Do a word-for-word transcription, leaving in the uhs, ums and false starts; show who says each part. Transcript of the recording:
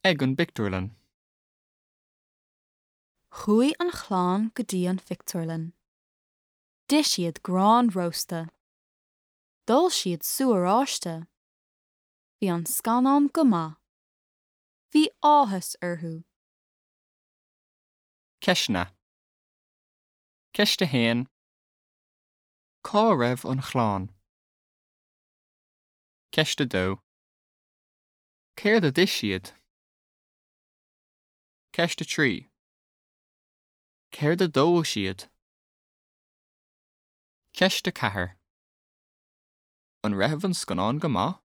Speaker 1: Ag an bpictiúrlann.
Speaker 2: Chuaigh an chlann go dtí an phictiúrlann. D'ith siad grán rósta. D'ól siad sú oráiste. Bhí an scannán go maith. Bhí áthas orthu.
Speaker 1: Ceisteanna. Ceist a haon. Cá raibh an chlann? Ceist a dó. Céard a d'ith siad? Ceist a trí. Céard a d'ól siad? Ceist a ceathair. An raibh an scannán go maith?